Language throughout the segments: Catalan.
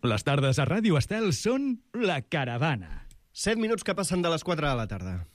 Les tardes a Ràdio Estel són La Caravana. 7 minuts que passen de les 4 de la tarda.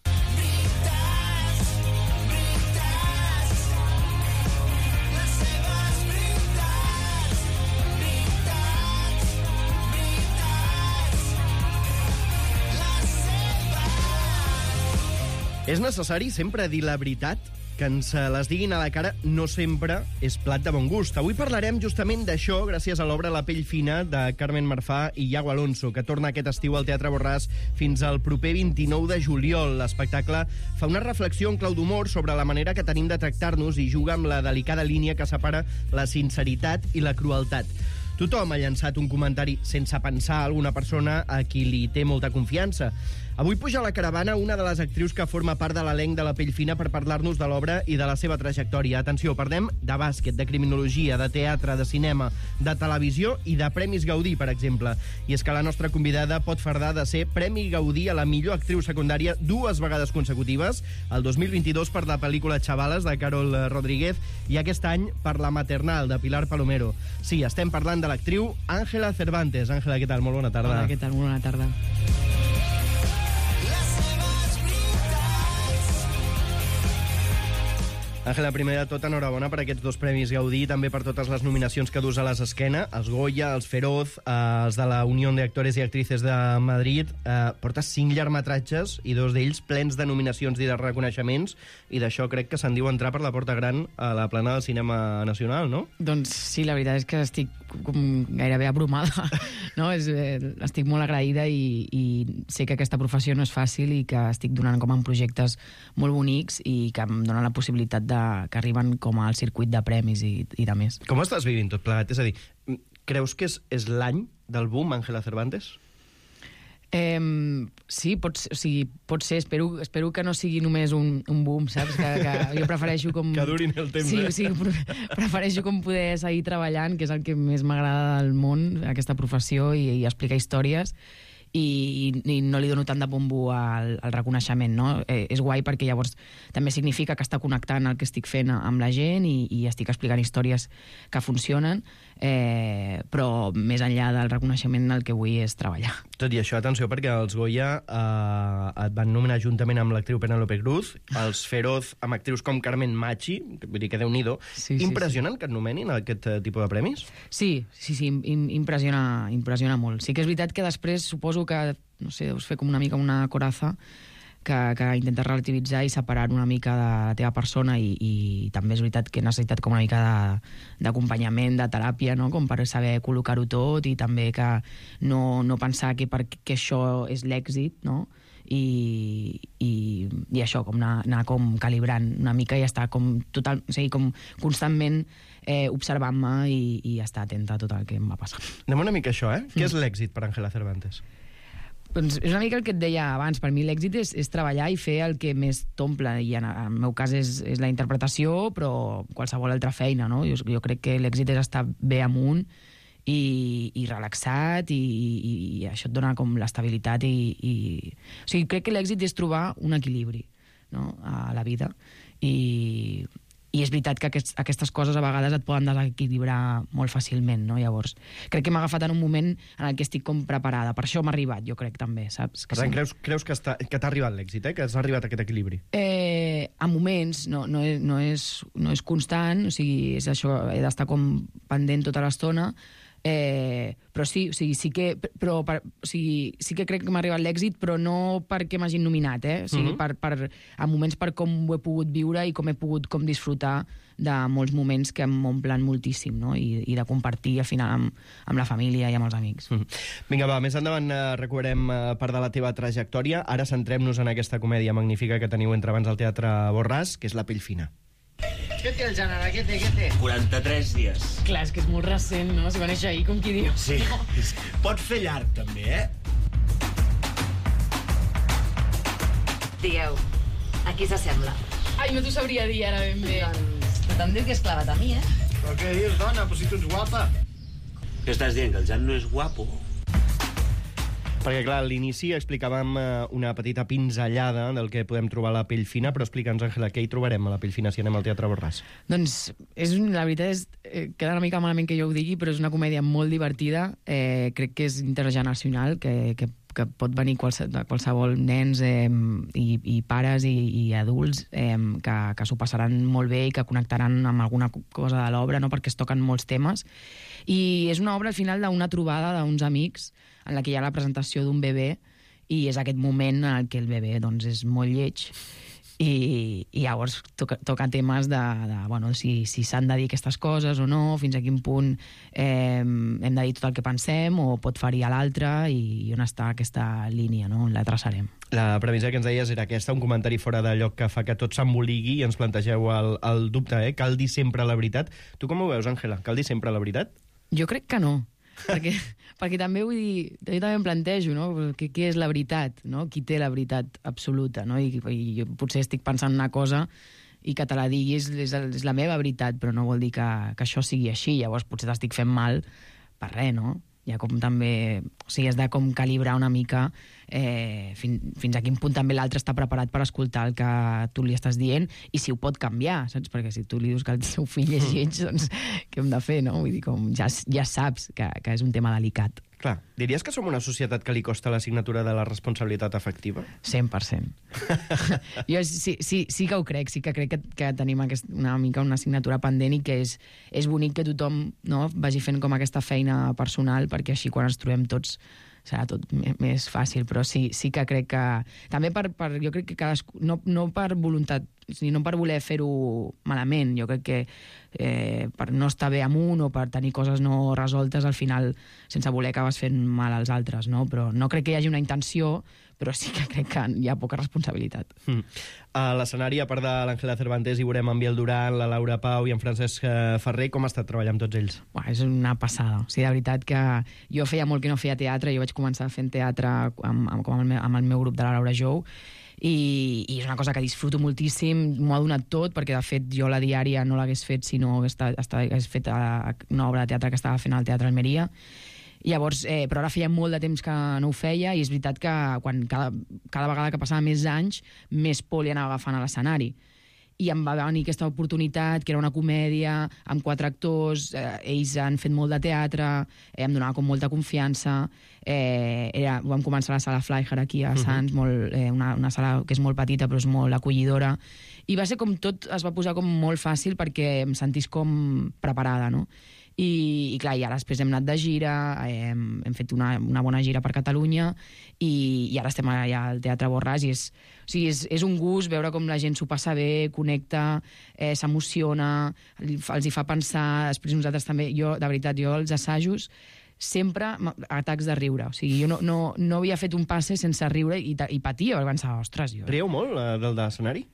És necessari sempre dir la veritat? Que ens les diguin a la cara no sempre és plat de bon gust. Avui parlarem justament d'això gràcies a l'obra La pell fina de Carmen Marfà i Iago Alonso, que torna aquest estiu al Teatre Borràs fins al proper 29 de juliol. L'espectacle fa una reflexió en clau d'humor sobre la manera que tenim de tractar-nos i juga amb la delicada línia que separa la sinceritat i la crueltat. Tothom ha llançat un comentari sense pensar a alguna persona a qui li té molta confiança. Avui puja a la caravana una de les actrius que forma part de l'elenc de La pell fina per parlar-nos de l'obra i de la seva trajectòria. Atenció, parlem de bàsquet, de criminologia, de teatre, de cinema, de televisió i de Premis Gaudí, per exemple. I és que la nostra convidada pot fardar de ser Premi Gaudí a la millor actriu secundària 2 vegades consecutives, el 2022 per la pel·lícula Chavales, de Carol Rodríguez, i aquest any per La maternal, de Pilar Palomero. Sí, estem parlant de l'actriu Ángela Cervantes. Ángela, què tal? Molt bona tarda. Hola, què tal? Molt bona tarda. Ángela, primer de tot, enhorabona per aquests 2 Premis Gaudí, també per totes les nominacions que dus a les esquena, els Goya, els Feroz, els de la Unió de Actores i Actrices de Madrid. Portes 5 llargmetratges i 2 d'ells plens de nominacions i de reconeixements, i d'això crec que se'n diu entrar per la porta gran a la plana del cinema nacional, no? Doncs sí, la veritat és que estic gairebé abrumada, no? Estic molt agraïda i sé que aquesta professió no és fàcil i que estic donant com en projectes molt bonics i que em donen la possibilitat que arriben com al circuit de premis i de més. Com estàs vivint tot plegat? És a dir, creus que és l'any del boom, Ángela Cervantes? Sí, pot ser. Espero que no sigui només un boom, saps? Que jo prefereixo com... Que durin el temps, Sí, prefereixo com poder seguir treballant, que és el que més m'agrada del món, aquesta professió, i explicar històries, i no li dono tant de bombo al reconeixement, no? És guai perquè llavors també significa que està connectant el que estic fent amb la gent i estic explicant històries que funcionen, però més enllà del reconeixement el que vull és treballar. Tot i això, atenció, perquè els Goya et van nominar juntament amb l'actriu Penélope Cruz, els Feroz amb actrius com Carmen Machi, vull dir que Déu-n'hi-do. Sí, impressionant que et nomenin aquest tipus de premis? Sí, impressiona molt. Sí que és veritat que després suposo que, no sé, deus fer com una mica una coraza que intentes relativitzar i separar una mica de la teva persona i també és veritat que he necessitat com una mica d'acompanyament, de teràpia, no? Com per saber col·locar-ho tot i també que no pensar que perquè això és l'èxit, no? I això, com anar com calibrant una mica i estar com com constantment observant-me i estar atenta a tot el que em va passar. Anem una mica a això, Què és l'èxit per Ángela Cervantes? Doncs és una mica el que et deia abans. Per mi l'èxit és treballar i fer el que més t'omple, i en el meu cas és la interpretació, però qualsevol altra feina, no? Jo crec que l'èxit és estar bé amunt i relaxat, i això et dona com l'estabilitat o sigui, crec que l'èxit és trobar un equilibri, no? A la vida, i és veritat que aquestes coses a vegades et poden desequilibrar molt fàcilment, no? Llavors, crec que m'ha agafat en un moment en el que estic com preparada. Per això m'ha arribat, jo crec, també, saps? Per tant, creus que t'ha arribat l'èxit, que has arribat a aquest equilibri? A moments, no és constant, o sigui, és això, he d'estar com pendent tota l'estona, però sí que crec que m'ha arribat l'èxit, però no perquè m'hagin nominat, o sigui, a moments per com ho he pogut viure i com he pogut com disfrutar de molts moments que m'omplen moltíssim, no? I de compartir al final amb la família i amb els amics. Vinga, va, més endavant recuperem part de la teva trajectòria. Ara centrem-nos en aquesta comèdia magnífica que teniu entre abans al Teatre Borràs, que és La pell fina. Què té el gènere? Què té? 43 dies. Clar, és que és molt recent, no? Si va néixer ahir, com qui diu. Sí. Pot fer llarg, també, Digueu, a qui s'assembla? Ai, no t'ho sabria dir ara ben bé. Doncs tothom diu que és clavat a mi, Però què dius, dona? Però si tu ets guapa. Què estàs dient, que el Jan no és guapo? Perquè, clar, a l'inici explicàvem una petita pinzellada del que podem trobar a la Pell Fina, però explica'ns, Àngela, què hi trobarem a la Pell Fina si anem al Teatre Borràs? Doncs, la veritat queda una mica malament que jo ho digui, però és una comèdia molt divertida, crec que és intergeneracional, que pot venir qualsevol nens i pares i adults que s'ho passaran molt bé i que connectaran amb alguna cosa de l'obra, no? Perquè es toquen molts temes. I és una obra, al final, d'una trobada d'uns amics en la que hi ha la presentació d'un bebè i és aquest moment en el que el bebè doncs, és molt lleig i llavors toca temes de bueno, si s'han de dir aquestes coses o no, fins a quin punt hem de dir tot el que pensem o pot ferir a l'altre i on està aquesta línia, no? On la traçarem. La premissa que ens deies era aquesta, un comentari fora de lloc que fa que tot s'emboligui i ens plantegeu el dubte, cal dir sempre la veritat. Tu com ho veus, Àngela? Cal dir sempre la veritat? Jo crec que no. perquè també vull dir, jo també em plantejo, no? Què és la veritat, no? Qui té la veritat absoluta, no? I jo potser estic pensant una cosa i que te la diguis és la meva veritat, però no vol dir que això sigui així, llavors potser t'estic fent mal per res, no? Hi ha com també... O sigui, has de com calibrar una mica fins a quin punt també l'altre està preparat per escoltar el que tu li estàs dient i si ho pot canviar, saps? Perquè si tu li dius que el seu fill és lleig, doncs què hem de fer, no? Vull dir, com ja saps que és un tema delicat. Clar, diries que som una societat que li costa la signatura de la responsabilitat afectiva? 100%. Jo sí que ho crec, sí que crec que tenim una mica una assignatura pendent i que és bonic que tothom, no, vagi fent com aquesta feina personal perquè així quan ens trobem tots serà tot més fàcil, però sí que crec que... També jo crec que cadascú... No per voluntat, sinó per voler fer-ho malament. Jo crec que per no estar bé amb un o per tenir coses no resoltes, al final, sense voler, acabes fent mal als altres, no? Però no crec que hi hagi una intenció, però sí que crec que hi ha poca responsabilitat. A l'escenari, a part de l'Àngela Cervantes, hi veurem en Biel Duran, la Laura Pau i en Francesc Ferrer. Com ha estat treballar amb tots ells? És una passada. O sigui, de veritat que jo feia molt que no feia teatre, jo vaig començar fent teatre amb el meu grup de la Laura Jou, i és una cosa que disfruto moltíssim, m'ho ha donat tot, perquè de fet jo la diària no l'hagués fet si no hagués fet una obra de teatre que estava fent al Teatre Almeria. Llavors, però ara feia molt de temps que no ho feia i és veritat que cada vegada que passava més anys, més por li anava agafant a l'escenari. I em va venir aquesta oportunitat, que era una comèdia, amb 4 actors, ells han fet molt de teatre, em donava com molta confiança. Vam començar a la sala Flyher aquí a Sants, una sala que és molt petita però és molt acollidora. I va ser com tot, es va posar com molt fàcil perquè em sentís com preparada, no? I clar, i ara després hem anat de gira, hem fet una bona gira per Catalunya i ara estem allà al Teatre Borràs i és un gust veure com la gent s'ho passa bé, connecta, s'emociona, els hi fa pensar. Després nosaltres també, de veritat, jo als assajos sempre atacs de riure. O sigui, jo no havia fet un passe sense riure i patia, perquè pensava, ostres, jo... Rieu molt del d'escenari?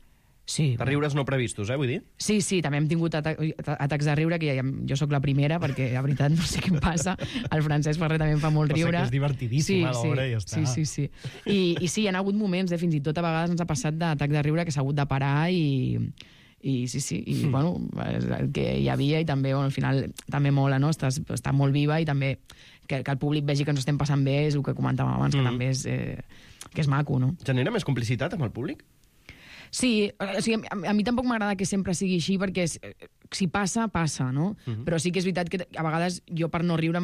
Sí. De riures no previstos, vull dir? Sí, també hem tingut atacs de riure, que jo sóc la primera, perquè, la veritat, no sé què em passa. El Francesc Ferrer també em fa molt riure. Però sé que és divertidíssima l'obra i ja està. Sí. I sí, hi ha hagut moments, fins i tot a vegades ens ha passat d'atac de riure que s'ha hagut de parar i bueno, el que hi havia i també, bueno, al final també mola, no? Està molt viva i també que el públic vegi que ens estem passant bé és el que comentàvem abans, que també és maco, no? Genera més complicitat amb el públic? Sí, o sigui, a mi tampoc m'agrada que sempre sigui així perquè si passa, no? Però sí que és veritat que a vegades jo per no riure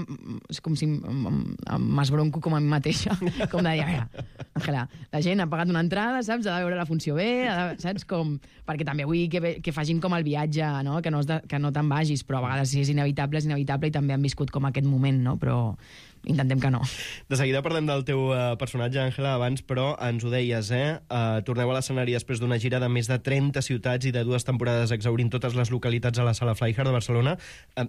és com si m'esbronco com a mi mateixa, com de dir, Àngela, la gent ha pagat una entrada, saps? Ha de veure la funció bé, saps? Perquè també vull que facin com el viatge, no? Que no te'n vagis, però a vegades si és inevitable i també han viscut com aquest moment, no? Però intentem que no. De seguida parlem del teu personatge, Àngela, abans, però ens ho deies, torneu a l'escenari després d'una gira de més de 30 ciutats i de 2 temporades exhaurint totes les localitats a la sala Flyher de Barcelona.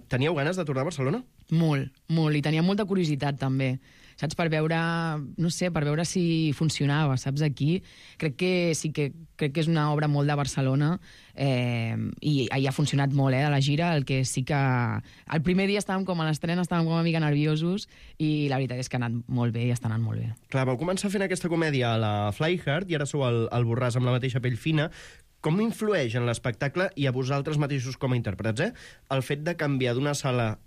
Teníeu ganes de tornar a Barcelona? Molt, i tenia molta curiositat també, saps? Per veure si funcionava, saps? Aquí crec que és una obra molt de Barcelona i ha funcionat molt, de la gira. El que sí que el primer dia estàvem com a l'estrena, estàvem com una mica nerviosos i la veritat és que ha anat molt bé i està anant molt bé. Clar, vau començar fent aquesta comèdia a la Flyher i ara sou al Borràs amb la mateixa Pell Fina. Com influeix en l'espectacle i a vosaltres mateixos com a intèrprets, el fet de canviar d'una sala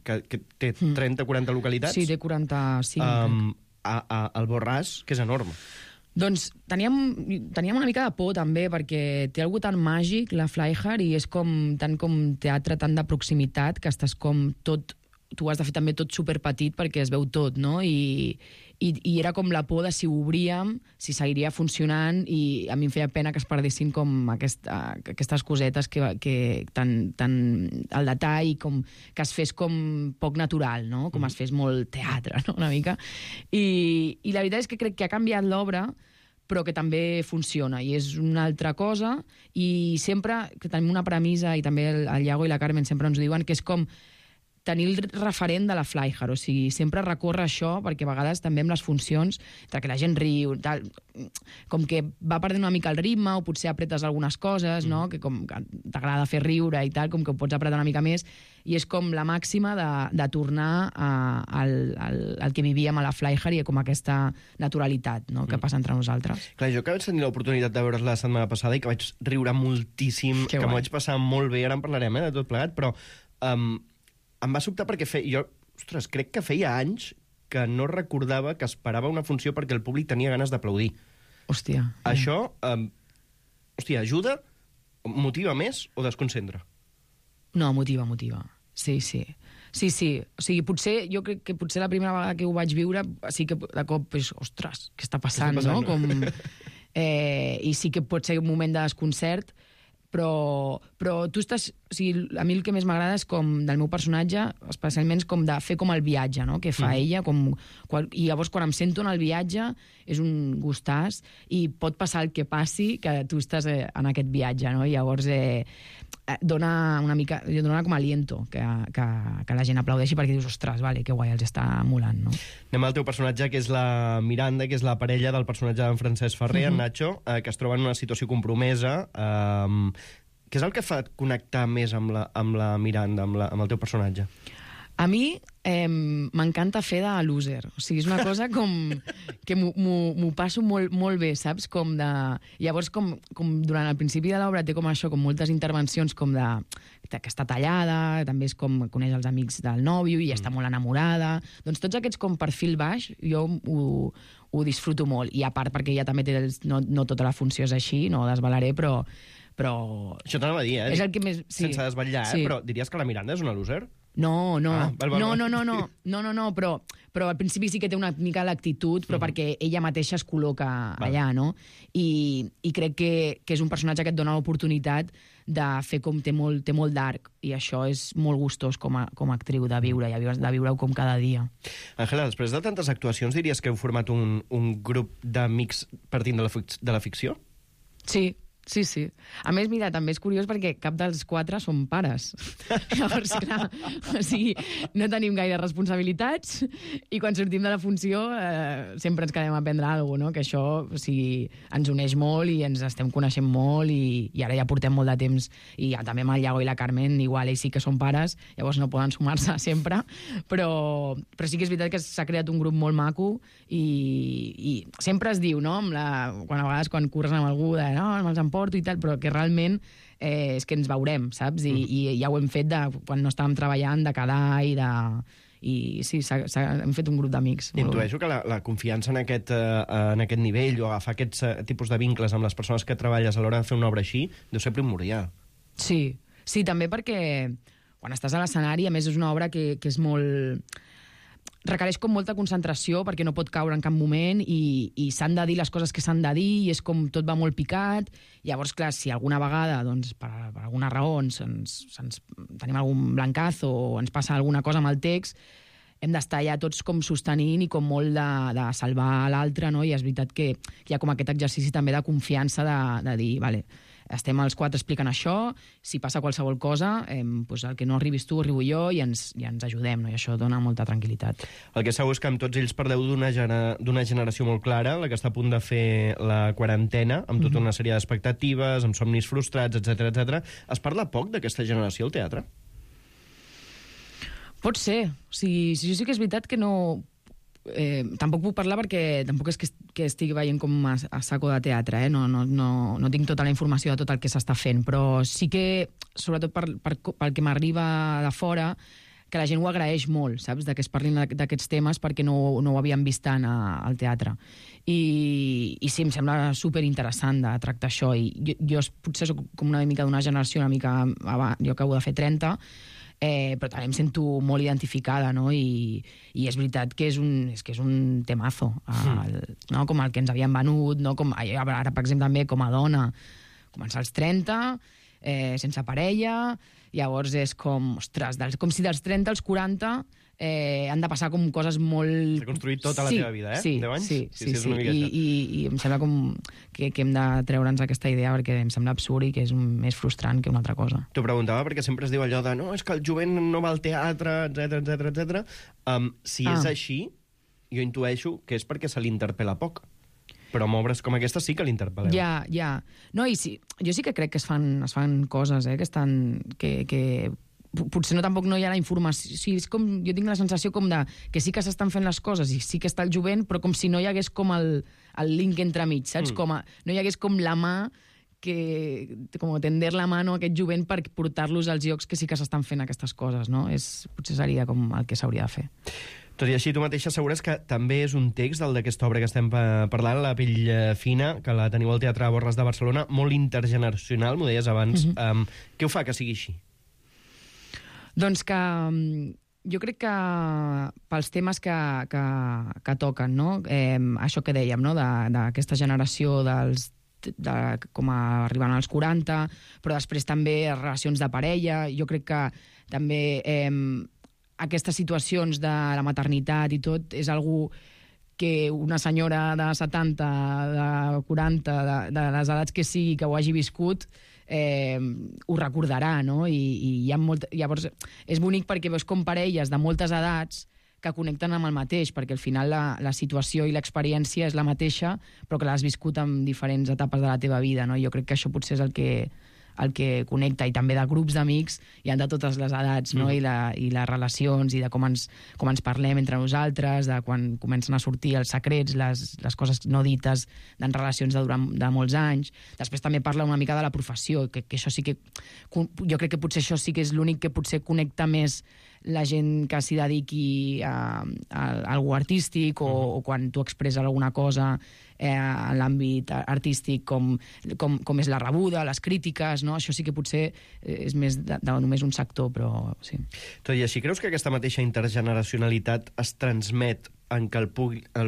que té 30 o 40 localitats... Sí, té 45. al Borràs, que és enorme. Doncs teníem una mica de por també, perquè té algú tan màgic, la Flyhard, i és tant com teatre tan de proximitat, que estàs com tot... Tu has de fer també tot superpetit perquè es veu tot, no? I era com la por de si ho obríem, si seguiria funcionant, i a mi em feia pena que es perdessin com aquestes cosetes que tan al detall, com que es fes com poc natural, no? Com es fes molt teatre, no? Una mica. I la veritat és que crec que ha canviat l'obra, però que també funciona, i és una altra cosa, i sempre que tenim una premissa, i també el Iago i la Carmen sempre ens diuen, que és com tenir el referent de la Flyhard, o sigui, sempre recórrer a això, perquè a vegades també amb les funcions, entre que la gent riu, tal, com que va perdent una mica el ritme, o potser apretes algunes coses, no? Que com que t'agrada fer riure i tal, com que ho pots apretar una mica més, i és com la màxima de tornar al que vivíem a la Flyhard i com aquesta naturalitat, no? Que passa entre nosaltres. Clar, jo que vaig tenir l'oportunitat de veure's la setmana passada i que vaig riure moltíssim, que m'ho vaig passar molt bé, ara en parlarem, de tot plegat, però em va sobtar perquè ostres, crec que feia anys que no recordava que esperava una funció perquè el públic tenia ganes d'aplaudir. Hòstia. Això, ajuda, motiva més o desconcentra? No, motiva. Sí. O sigui, jo crec que potser la primera vegada que ho vaig viure, sí que de cop, ostres, què està passant, no? I sí que pot ser un moment de desconcert, però tu estàs... O sigui, a mi el que més m'agrada és com del meu personatge, especialment com de fer com el viatge, no? Que fa ella, i llavors quan em sento en el viatge és un gustàs, i pot passar el que passi, que tu estàs en aquest viatge, no? I llavors dona com aliento que la gent aplaudeixi, perquè dius, ostres, vale, que guai, els està molant, no? Anem al teu personatge, que és la Miranda, que és la parella del personatge d'en Francesc Ferrer, en Nacho, que es troba en una situació compromesa. Què és el que fa connectar més amb la Miranda, amb el teu personatge? A mi m'encanta fer de loser. O sigui, és una cosa com que m'ho passo molt, molt bé, saps? Llavors, com durant el principi de l'obra té com això, com moltes intervencions com que està tallada, també és com coneix els amics del nòvio i està molt enamorada. Doncs tots aquests com perfil baix, jo ho disfruto molt. I a part perquè ella també té... No tota la funció és així, no ho desvelaré, però... Això t'anava a dir, és el que més... Sense desvetllar, però diries que la Miranda és una loser? No. Val. No, però al principi sí que té una mica l'actitud, però perquè ella mateixa es col·loca allà, no? I crec que és un personatge que et dona l'oportunitat de fer com té molt d'arc, i això és molt gustós com a actriu de viure-ho com cada dia. Àngela, després de tantes actuacions, diries que heu format un grup d'amics partint de la ficció? Sí. A més, mira, també és curiós perquè cap dels 4 són pares. Llavors, clar, o sigui, no tenim gaire responsabilitats, i quan sortim de la funció sempre ens quedem a aprendre alguna cosa, no? Que això, o sigui, ens uneix molt i ens estem coneixent molt, i ara ja portem molt de temps, i ja també amb el Iago i la Carmen, igual ells sí que són pares, llavors no poden sumar-se sempre, però sí que és veritat que s'ha creat un grup molt maco, i sempre es diu, no? A vegades quan curres amb algú, no, me'ls emporto i tal, però que realment és que ens veurem, saps? I ja ho hem fet quan no estàvem treballant, de quedar i sí, hem fet un grup d'amics. Intueixo que la confiança en aquest nivell, o agafar aquests tipus de vincles amb les persones que treballes a l'hora de fer una obra així, deu ser primordial. Sí, també perquè quan estàs a l'escenari, a més és una obra que és molt... requereix com molta concentració perquè no pot caure en cap moment, i s'han de dir les coses que s'han de dir, i és com tot va molt picat. Llavors, clar, si alguna vegada, doncs, per alguna raó tenim algun blancazo o ens passa alguna cosa amb el text, hem d'estar ja tots com sostenint i com molt de salvar l'altre, no? I és veritat que hi ha com aquest exercici també de confiança de dir, vale, estem els 4 explicant això, si passa qualsevol cosa, doncs el que no arribis tu, arribo jo, i ens ajudem, no? I això dona molta tranquil·litat. El que segur és que amb tots ells parleu d'una generació molt clara, la que està a punt de fer la quarantena, amb tota una sèrie d'expectatives, amb somnis frustrats, etc. Es parla poc d'aquesta generació al teatre? Pot ser. O sigui, sí que és veritat que no... tampoc puc parlar perquè tampoc és que estigui veient com a saco de teatre, no tinc tota la informació de tot el que s'està fent, però sí que, sobretot pel que m'arriba de fora, que la gent ho agraeix molt, saps? Que es parlin d'aquests temes perquè no ho havien vist tant al teatre. I sí, em sembla superinteressant de tractar això. I jo potser soc com una mica d'una generació una mica abans, jo acabo de fer 30, però també em sento molt identificada, no? I és veritat que és un temazo, no? Com el que ens havien venut, no? Com, ara, per exemple, també com a dona, començar als 30, sense parella, llavors és com, ostres, com si dels 30 als 40 han de passar com coses molt... S'ha construït tota la teva vida, 10 anys? Sí. I em sembla com que hem de treure'ns aquesta idea perquè em sembla absurd i que és més frustrant que una altra cosa. T'ho preguntava perquè sempre es diu allò de no, és que el jovent no va al teatre, etc. Si és així, jo intueixo que és perquè se l'interpel·la poc. Però amb obres com aquesta sí que l'interpel·leu. Ja. No, i sí, jo sí que crec que es fan coses, que estan... que potser tampoc no hi ha la informació. O sigui, és com, jo tinc la sensació com de que sí que s'estan fent les coses i sí que està el jovent, però com si no hi hagués com el link entremig, saps? No hi hagués com la mà com tender la mano a aquest jovent per portar-los als llocs que sí que s'estan fent aquestes coses, no? Potser seria com el que s'hauria de fer. Tot i així, tu mateixa assegures que també és un text, el d'aquesta obra que estem parlant, La pell fina, que la teniu al Teatre Borràs de Barcelona, molt intergeneracional, m'ho deies abans. Què ho fa que sigui així? Doncs que jo crec que pels temes que toquen, no? Això que dèiem, no? D'aquesta generació com arribant als 40, però després també relacions de parella. Jo crec que també aquestes situacions de la maternitat i tot és algú que una senyora de 70, de 40, de les edats que sigui, que ho hagi viscut, ho recordarà, no? I hi ha llavors és bonic perquè veus com parelles de moltes edats que connecten amb el mateix, perquè al final la situació i l'experiència és la mateixa, però que l'has viscut en diferents etapes de la teva vida, no? Jo crec que això potser és el que connecta, i també de grups d'amics hi ha de totes les edats, no? I les relacions, i de com ens parlem entre nosaltres, de quan comencen a sortir els secrets, les coses no dites en relacions de molts anys. Després també parla una mica de la professió, que això sí que... Jo crec que potser això sí que és l'únic que potser connecta més la gent que s'hi dediqui a algú artístic o quan tu expresses alguna cosa en l'àmbit artístic com és la rebuda, les crítiques, no? Això sí que potser és més de només un sector, però sí. Tot i així, creus que aquesta mateixa intergeneracionalitat es transmet en què el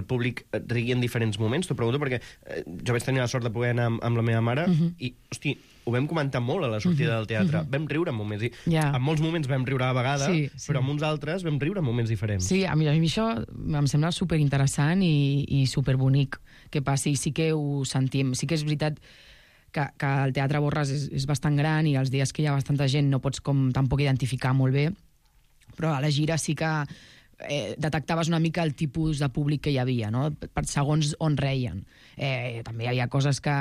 públic rigui en diferents moments? T'ho pregunto perquè jo vaig tenir la sort de poder anar amb la meva mare i, hosti, ho vam comentar molt a la sortida del teatre. Vam riure en moments. En molts moments vam riure a vegades, però en uns altres vam riure en moments diferents. Sí, a mi això em sembla superinteressant i superbonic que passi. Sí que ho sentim. Sí que és veritat que el Teatre Borràs és bastant gran i els dies que hi ha bastanta gent no pots tampoc identificar molt bé, però a la gira sí que detectaves una mica el tipus de públic que hi havia, no? Per segons on reien. També hi havia coses que,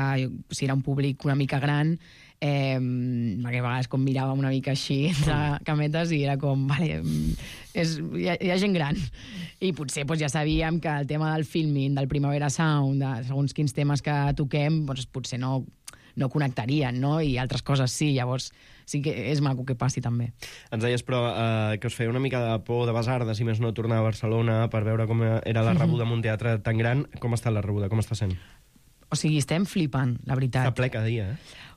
si era un públic una mica gran, perquè a vegades com miràvem una mica així entre cametes i era com, vale, hi ha gent gran. I potser ja sabíem que el tema del filming, del Primavera Sound, de segons quins temes que toquem, potser no connectarien, no? I altres coses sí, llavors sí que és maco que passi també. Ens deies, però, que us feia una mica de por de basarda, si més no, tornar a Barcelona per veure com era la rebuda en un teatre tan gran. Com està la rebuda? Com està sent? O sigui, estem flipant, la veritat. Està ple cada dia,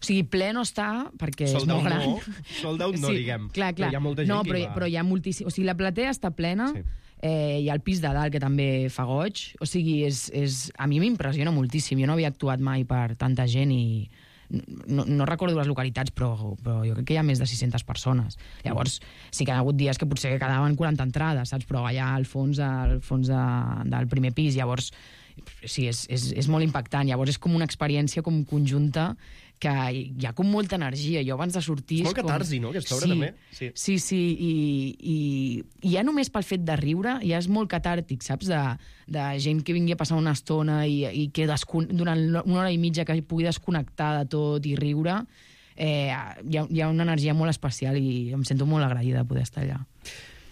O sigui, ple no està, perquè és molt gran. Sold out no, diguem. Clar. Però hi ha molta gent que hi va. Però hi ha moltíssim... O sigui, la platea està plena, hi ha el pis de dalt que també fa goig. O sigui, a mi m'impressiona moltíssim. Jo no havia actuat mai per tanta gent i... No recordo les localitats, però jo crec que hi ha més de 600 persones. Llavors, sí que hi ha hagut dies que potser quedaven 40 entrades, saps? Però allà al fons del primer pis, llavors sí, és molt impactant. Llavors és com una experiència com conjunta que hi ha com molta energia. Jo abans de sortir... És molt catarsi, no?, aquesta obra, també. Sí, i ja només pel fet de riure ja és molt catàrtic, saps? De gent que vingui a passar una estona i que durant una hora i mitja que pugui desconnectar de tot i riure, hi ha una energia molt especial i em sento molt agraïda de poder estar allà.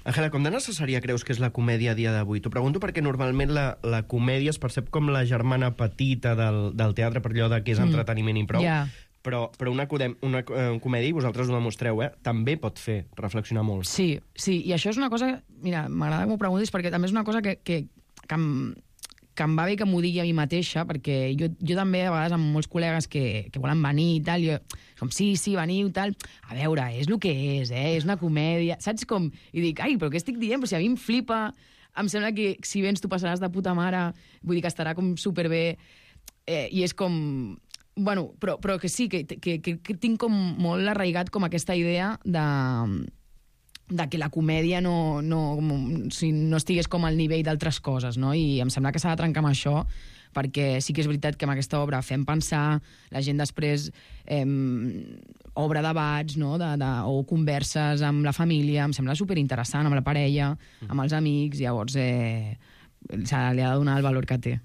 Àngela, com de necessària creus que és la comèdia a dia d'avui? T'ho pregunto perquè normalment la comèdia es percep com la germana petita del teatre, per allò que és entreteniment i prou. Però una comèdia, i vosaltres ho demostreu, també pot fer reflexionar molt. Sí, i això és una cosa... Mira, m'agrada que m'ho preguntis, perquè també és una cosa que em va bé que m'ho digui a mi mateixa, perquè jo també, a vegades, amb molts col·legues que volen venir i tal, com, sí, veniu, tal... A veure, és el que és una comèdia... Saps com? I dic, ai, però què estic dient? Però si a mi em flipa, em sembla que si vens tu passaràs de puta mare, vull dir que estarà com superbé, i és com... Bueno, però que sí, que tinc com molt arraigat com aquesta idea de que la comèdia no estigués com al nivell d'altres coses, no? I em sembla que s'ha de trencar amb això, perquè sí que és veritat que amb aquesta obra fem pensar, la gent després obre debats, no? O converses amb la família, em sembla superinteressant, amb la parella, amb els amics, llavors li ha de donar el valor que té.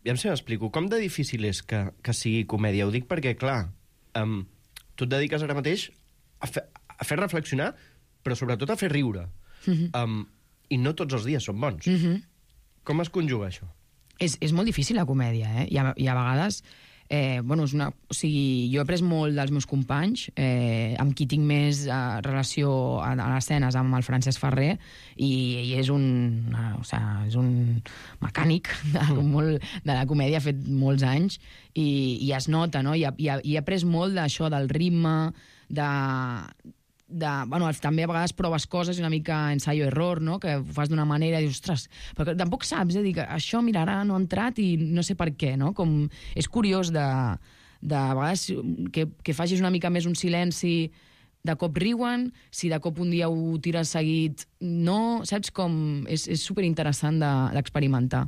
Ja em m'explico. Com de difícil és que sigui comèdia? Ho dic perquè, clar, tu et dediques ara mateix a fer reflexionar, però sobretot a fer riure. I no tots els dies són bons. Com es conjuga això? És molt difícil la comèdia, I a vegades... jo he après molt dels meus companys, amb qui tinc més relació a les escenes, amb el Francesc Ferrer, i és un mecànic de la comèdia, ha fet molts anys, i es nota, no? I he après molt d'això, del ritme, també a vegades proves coses una mica ensayo-error, no? Que ho fas d'una manera i dius, ostres, però tampoc saps, dic, això, mira, ara no ha entrat i no sé per què, no? Com és curiós de vegades que facis una mica més un silenci, de cop riuen, si de cop un dia ho tires seguit, no, saps com... És superinteressant d'experimentar.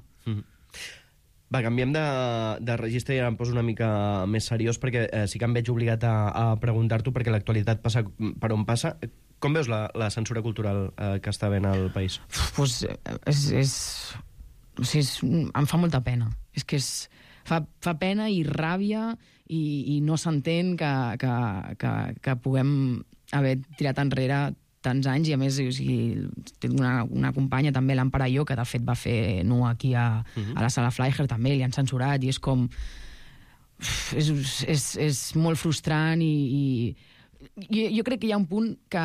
Va, canviem de registre i ara em poso una mica més seriós perquè sí que em veig obligat a preguntar-t'ho perquè l'actualitat passa per on passa. Com veus la censura cultural que està havent al país? Pues em fa molta pena. És que fa pena i ràbia i no s'entén que puguem haver tirat enrere tants anys, i a més tinc una companya també, l'Empara Jo, que de fet va fer nu aquí a la Sala Fleischer, també li han censurat, i és com... És molt frustrant i jo crec que hi ha un punt que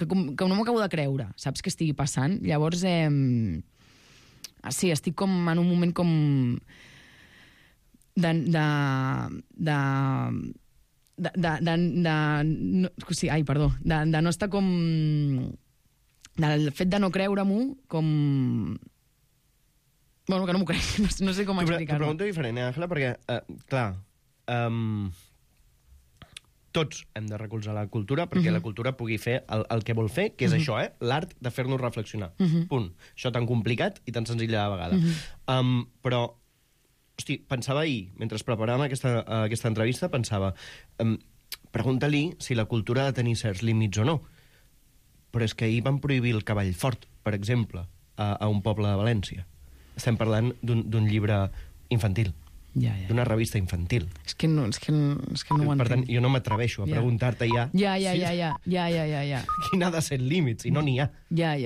no m'ho acabo de creure, saps, que estigui passant. Llavors, sí, estic com en un moment com de no estar com... Del fet de no creure-m'ho com... Bueno, que no m'ho crec, no sé com explicar-ho. T'ho pregunto diferent, Àngela, perquè, clar, tots hem de recolzar la cultura perquè la cultura pugui fer el que vol fer, que és això, l'art de fer-nos reflexionar. Punt. Això tan complicat i tan senzill a la vegada. Però, hosti, pensava ahir, mentre preparàvem aquesta entrevista, pensava, pregunta-li si la cultura ha de tenir certs límits o no. Però és que ahir van prohibir el cavall fort, per exemple, a un poble de València. Estem parlant d'un llibre infantil. D'una revista infantil. És que no ho entenc. Per tant, jo no m'atreveixo a preguntar-te ja... Ja. Quin ha de ser el límit, si no n'hi ha. Ja.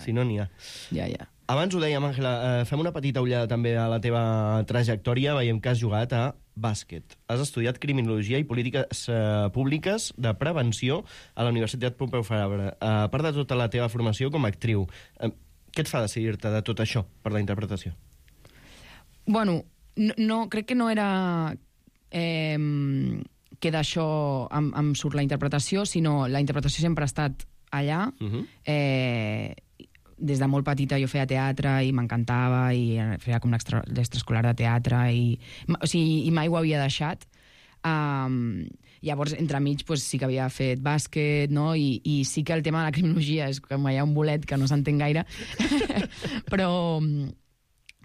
Si no n'hi ha. Ja. Abans ho dèiem, Àngela, fem una petita ullada també a la teva trajectòria. Veiem que has jugat a bàsquet. Has estudiat Criminologia i Polítiques Públiques de Prevenció a la Universitat Pompeu Fabra. A part de tota la teva formació com a actriu, què et fa decidir-te de tot això per la interpretació? Bueno, no, crec que no era que d'això em surt la interpretació, sinó la interpretació sempre ha estat allà. Des de molt petita jo feia teatre i m'encantava, i feia com l'extraescolar de teatre, i mai ho havia deixat. Llavors, entremig, sí que havia fet bàsquet, no? I sí que el tema de la criminologia és com hi ha un bolet que no s'entén gaire, però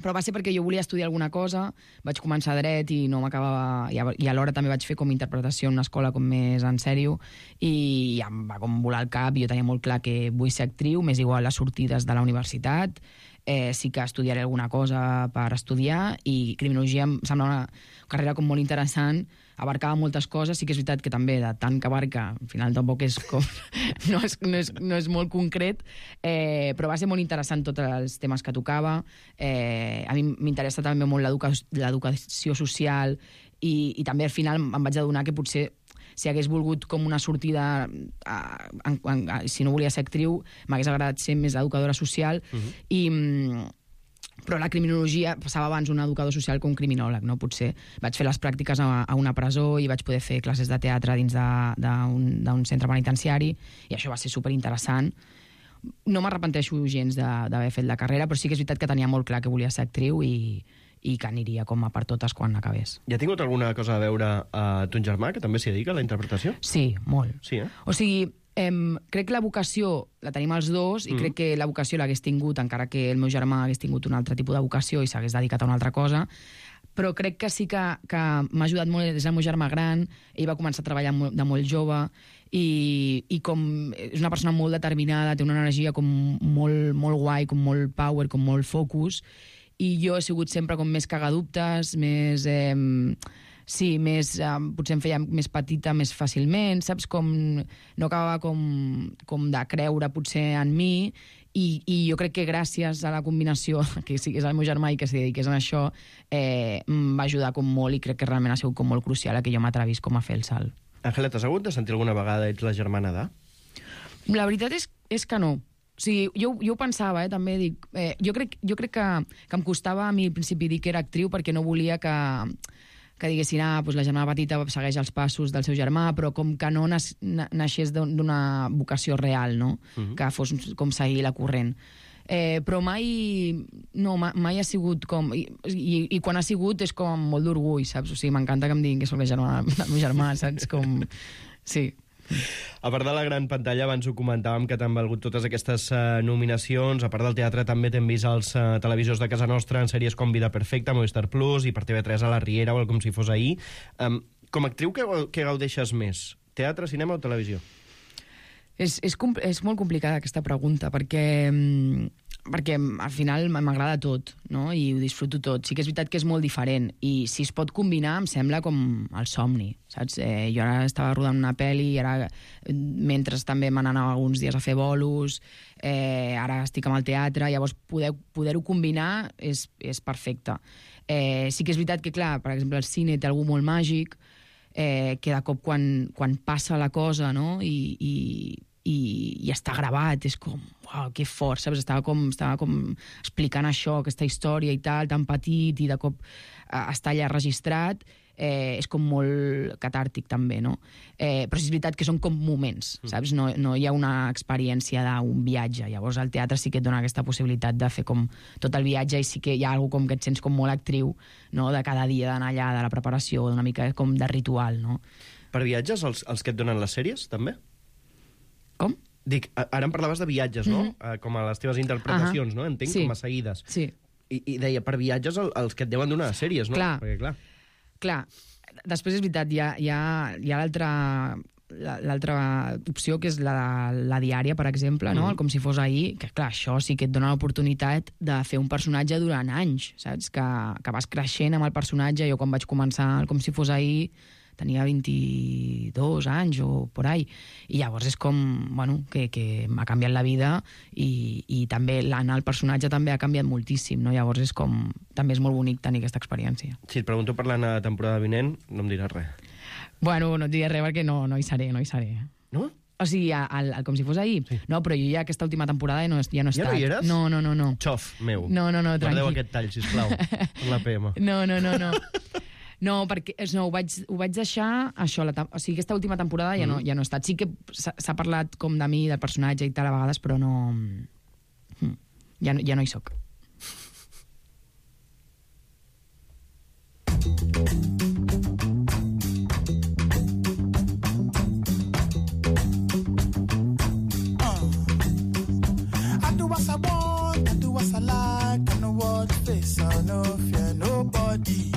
va ser perquè jo volia estudiar alguna cosa, vaig començar dret i no m'acabava... I alhora també vaig fer com interpretació en una escola com més en sèrio, i em va com volar el cap, i jo tenia molt clar que vull ser actriu, m'és igual les sortides de la universitat, sí que estudiaré alguna cosa per estudiar, i criminologia em sembla una carrera com molt interessant, abarcava moltes coses, sí que és veritat que també de tant que abarca, al final tampoc és com... no és molt concret, però va ser molt interessant tots els temes que tocava. A mi m'interessa també molt l'educació social, i també al final em vaig adonar que potser si hagués volgut com una sortida, si no volia ser actriu, m'hagués agradat ser més educadora social, però la criminologia passava abans un educador social que un criminòleg, no? Potser vaig fer les pràctiques a una presó i vaig poder fer classes de teatre dins d'un centre penitenciari, i això va ser superinteressant. No m'arrepenteixo gens d'haver fet la carrera, però sí que és veritat que tenia molt clar que volia ser actriu i que aniria com a per totes quan acabés. I ha tingut alguna cosa a veure a ton germà, que també s'hi dedica a la interpretació? Sí, molt. Sí, eh? O sigui, crec que la vocació la tenim els dos, i crec que la vocació l'hagués tingut, encara que el meu germà hagués tingut un altre tipus de vocació i s'hagués dedicat a una altra cosa, però crec que sí que m'ha ajudat molt, és el meu germà gran, ell va començar a treballar de molt jove, i com és una persona molt determinada, té una energia com molt, molt guai, com molt power, com molt focus, i jo he sigut sempre com més cagadubtes, més... potser em feia més petita més fàcilment, saps? No acabava com de creure potser en mi, i jo crec que gràcies a la combinació que sigués el meu germà i que s'hi dediqués a això, em va ajudar com molt, i crec que realment ha sigut com molt crucial que jo m'atrevís com a fer el salt. Àngela, t'has hagut de sentir alguna vegada ets la germana de? La veritat és que no. O sigui, jo ho pensava, també dic... Jo crec que em costava a mi al principi dir que era actriu perquè no volia que diguessin, doncs la germana petita segueix els passos del seu germà, però com que no naixés d'una vocació real, no? Que fos com seguir la corrent. Però mai ha sigut com... I quan ha sigut és com molt d'orgull, saps? O sigui, m'encanta que em diguin que soc la germana del meu germà, saps? Com... Sí. A part de la gran pantalla, abans ho comentàvem que t'han valgut totes aquestes nominacions. A part del teatre, també t'hem vist als televisors de casa nostra en sèries com Vida Perfecta, Movistar Plus, i per TV3 a La Riera o el Com si fos ahir. Com a actriu, què gaudeixes més? Teatre, cinema o televisió? És molt complicada aquesta pregunta, perquè al final m'agrada tot, no? I ho disfruto tot. Sí que és veritat que és molt diferent, i si es pot combinar em sembla com el somni, saps? Jo ara estava rodant una pel·li, i ara mentre també me n'anava alguns dies a fer bolos, ara estic amb el teatre, llavors poder-ho combinar és perfecte. Sí que és veritat que, clar, per exemple, el cine té algú molt màgic, que de cop quan passa la cosa, no? I està gravat, és com, uau, que fort, saps? Estava com explicant això, aquesta història i tal, tan petit, i de cop està allà registrat, és com molt catàrtic també, no? Però és veritat que són com moments, saps? No hi ha una experiència d'un viatge. Llavors el teatre sí que et dona aquesta possibilitat de fer com tot el viatge, i sí que hi ha alguna com que et sents com molt actriu, no? De cada dia d'anar allà, de la preparació, una mica com de ritual, no? Per viatges, els que et donen les sèries, també? Com? Dic, ara em parlaves de viatges, no? Com a les teves interpretacions, no? Entenc, com a seguides. Sí. I deia, per viatges, els que et deuen donar sèries, no? Clar. Perquè, clar, després és veritat, hi ha l'altra opció, que és la diària, per exemple, no? El Com si fos ahir, que clar, això sí que et dona l'oportunitat de fer un personatge durant anys, saps? Que vas creixent amb el personatge. Jo quan vaig començar el Com si fos ahir tenia 22 anys o por ahí, i llavors és com, bueno, que m'ha canviat la vida, i també l'anar al personatge també ha canviat moltíssim, no? Llavors és com, també és molt bonic tenir aquesta experiència. Si et pregunto per la temporada vinent, no em diràs res. Bueno, no et diré res perquè no hi seré. No? O sigui, el Com si fos ahir? Sí. No, però jo ja aquesta última temporada ja no he estat. Ja no hi eres? No. Xof, meu. No, tranquil. Guardeu aquest tall, sisplau, amb la PM. No. No, perquè ho vaig deixar, això, o sigui, aquesta última temporada ja no he estat. Sí que s'ha parlat com de mi, del personatge i tal a vegades, però no... Ja no hi soc. I do what I want, I do what I like, I know what face, I no fear nobody.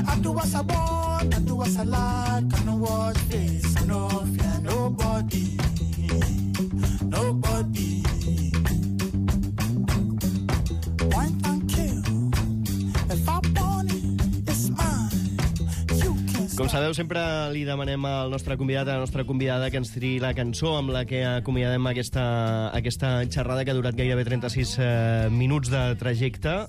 I do what I want, I do what I like, I know what face, I no fear nobody. Wine and kill, Com sabeu, sempre li demanem al nostre convidat, a la nostra convidada, que ens triï la cançó amb la que acomiadem aquesta xerrada que ha durat gairebé 36 minuts de trajecte.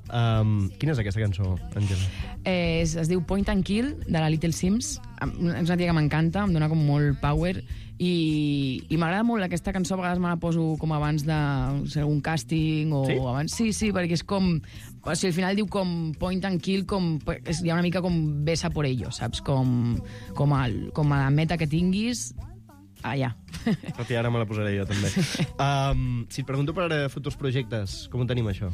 Quina és aquesta cançó, Àngela? Es diu Point and Kill, de la Little Sims. És una tia que m'encanta, em dona com molt power, i m'agrada molt aquesta cançó. A vegades me la poso com abans d'algun càsting o sí? Abans. Sí, perquè és com... O sigui, al final diu com Point and Kill, hi ha una mica com besa por ello, saps? Com a la meta que tinguis, allà. Tot i ara me la posaré jo, també. Si et pregunto per futurs projectes, com ho tenim, això?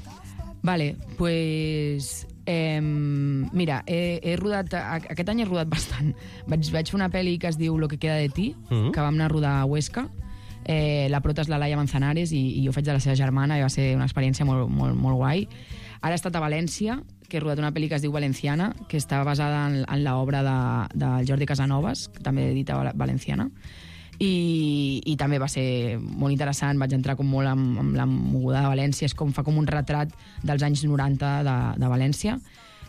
Vale, pues... mira, he rodat... Aquest any he rodat bastant. Vaig fer una pel·li que es diu Lo que queda de ti, que vam anar a rodar a Huesca. La prota és la Laia Manzanares i jo faig de la seva germana, i va ser una experiència molt, molt, molt guai. Ara he estat a València, que he rodat una pel·li que es diu Valenciana, que està basada en l'obra del Jordi Casanovas, que també edita Valenciana. I també va ser molt interessant. Vaig entrar com molt amb la moguda de València. Fa com un retrat dels anys 90 de València.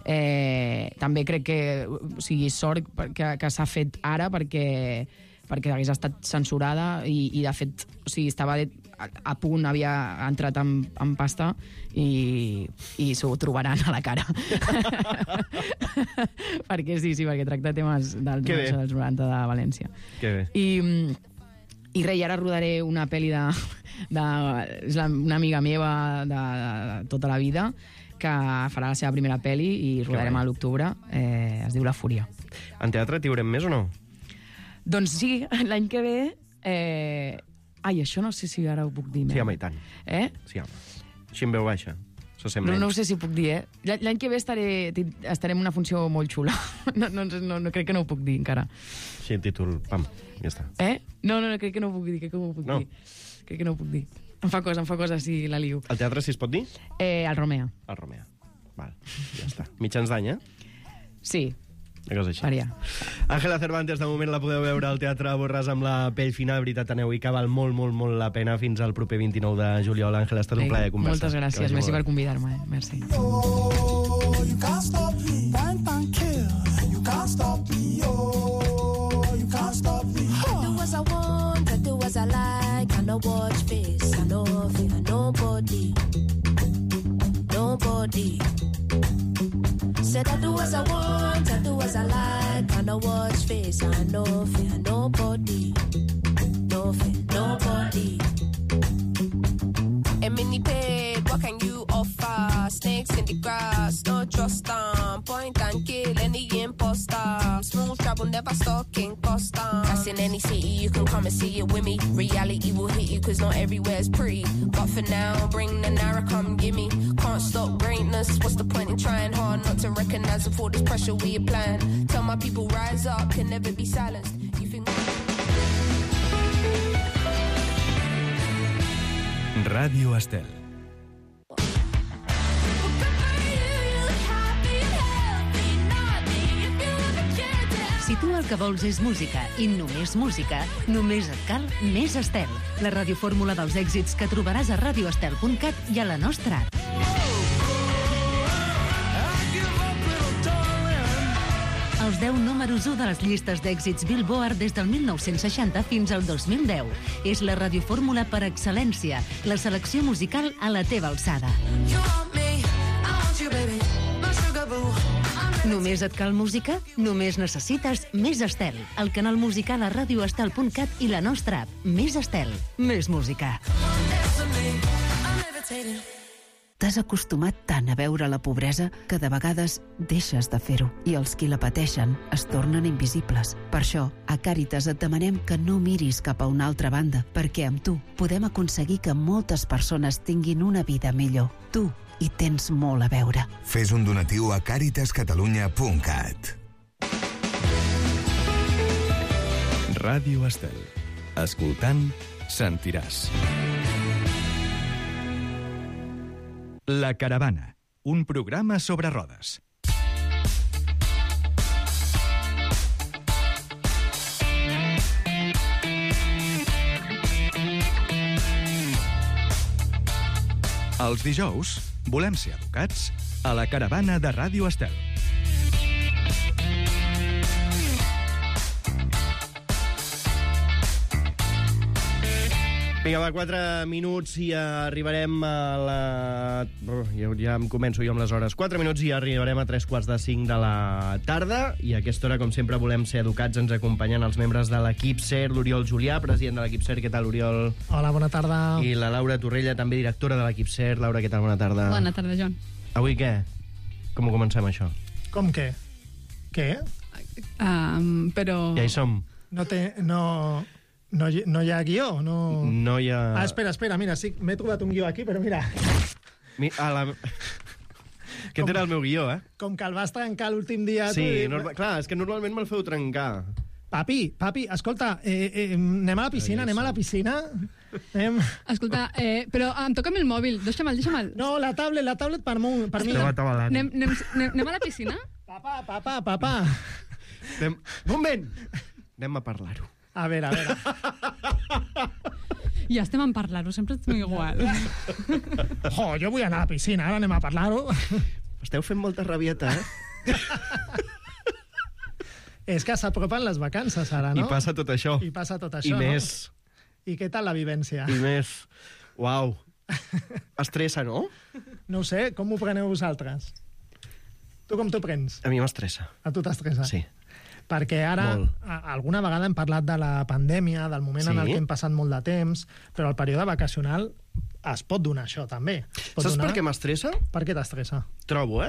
També crec que, o sigui, sort que s'ha fet ara, perquè hagués estat censurada i de fet, o sigui, estava a punt, havia entrat en pasta i s'ho trobaran a la cara. Perquè perquè tracta temes dels 90 de València. Que bé. I res, ara rodaré una pel·li és una amiga meva de tota la vida, que farà la seva primera pel·li i rodarem a l'octubre. Es diu La Fúria. En teatre t'hi veurem més o no? Doncs sí, l'any que ve... això no sé si ara ho puc dir. Sí, home, i tant. Sí, home. Així en veu baixa. No ho sé si ho puc dir, L'any que ve estaré en una funció molt xula. No, crec que no ho puc dir encara. Sí, el títol, pam, ja està. No, crec que no ho puc dir, Crec que no ho puc dir. Em fa cosa si la liu. El teatre, si es pot dir? El Romea. El Romea. Val, ja està. Mitjans d'any, Sí. Una cosa així. Faria. Àngela Cervantes, de moment la podeu veure al Teatre Borràs amb La pell fina. De veritat, aneu-hi, que val molt, molt, molt la pena. Fins al proper 29 de juliol. Àngela, ha estat un plaer conversar. Moltes gràcies, merci per convidar-me. Merci. Oh, you can't stop me. Point and kill. You can't stop me. Oh, you can't stop me. I do as I want, I do as I like. I no watch face, I no fear nobody. Nobody. Said I do as I want, I do as I like. I no watch face, I no fear nobody. No fear nobody. A mini paid, what can you offer? Snakes in the grass, no trust them. Point and kill any imposter. Smooth travel, never stalking costa. That's in any city, you can come and see it with me. Reality will hit you, cause not everywhere's pretty. But for now, bring the Naira, come gimme. Can't stop greatness, what's the point in trying hard not to recognize all this pressure we applying? Tell my people rise up, can never be silenced. You think... Ràdio Estel. Si tu el que vols és música i només música, només et cal Més Estel, la radiofórmula dels èxits que trobaràs a radioestel.cat i a la nostra app. Els 10 números 1 de les llistes d'èxits Billboard des del 1960 fins al 2010. És la radiofórmula per excel·lència, la selecció musical a la teva alçada. Només et cal música? Només necessites Més Estel, el canal musical a radioestel.cat i la nostra app. Més Estel, més música. T'has acostumat tant a veure la pobresa que de vegades deixes de fer-ho i els qui la pateixen es tornen invisibles. Per això, a Càritas et demanem que no miris cap a una altra banda, perquè amb tu podem aconseguir que moltes persones tinguin una vida millor. Tu hi tens molt a veure. Fes un donatiu a caritascatalunya.cat. Ràdio Estel. Escoltant, sentiràs. La Caravana, un programa sobre rodes. Els dijous volem ser educats a La Caravana de Ràdio Estel. Vinga, va, 4 minuts i arribarem a la... Ja em començo jo amb les hores. 4 minuts i arribarem a 3:45 de la tarda. I a aquesta hora, com sempre, volem ser educats. Ens acompanyen els membres de l'equip SER, l'Oriol Julià, president de l'equip SER. Què tal, Oriol? Hola, bona tarda. I la Laura Torrella, també directora de l'equip SER. Laura, què tal? Bona tarda. Bona tarda, Joan. Avui què? Com ho comencem, això? Com què? Què? Però... Ja hi som. No hi ha guió? No hi ha... Espera, mira, sí, m'he trobat un guió aquí, però mira... Aquest era el meu guió, eh? Com que el vas trencar l'últim dia... Sí, clar, és que normalment me'l feu trencar. Papi, escolta, anem a la piscina, Escolta, però em toca el mòbil, deixa'm. No, la tablet per mi. Anem a la piscina? Papa. Un moment! Anem a parlar-ho. A veure. Ja estem en parlar-ho, sempre estem igual. Jo vull anar a la piscina, ara anem a parlar-ho. Esteu fent molta rabieta, eh? És que s'apropen les vacances ara, no? I passa tot això. I I més. I què tal la vivència? I més. Uau. Estressa, no? No ho sé, com ho preneu vosaltres? Tu com t'ho prens? A mi m'estressa. A tu t'estressa? Sí. Perquè ara, alguna vegada hem parlat de la pandèmia, del moment en el que hem passat molt de temps, però el període vacacional es pot donar això, també. Saps per què m'estressa? Per què t'estressa? Trobo,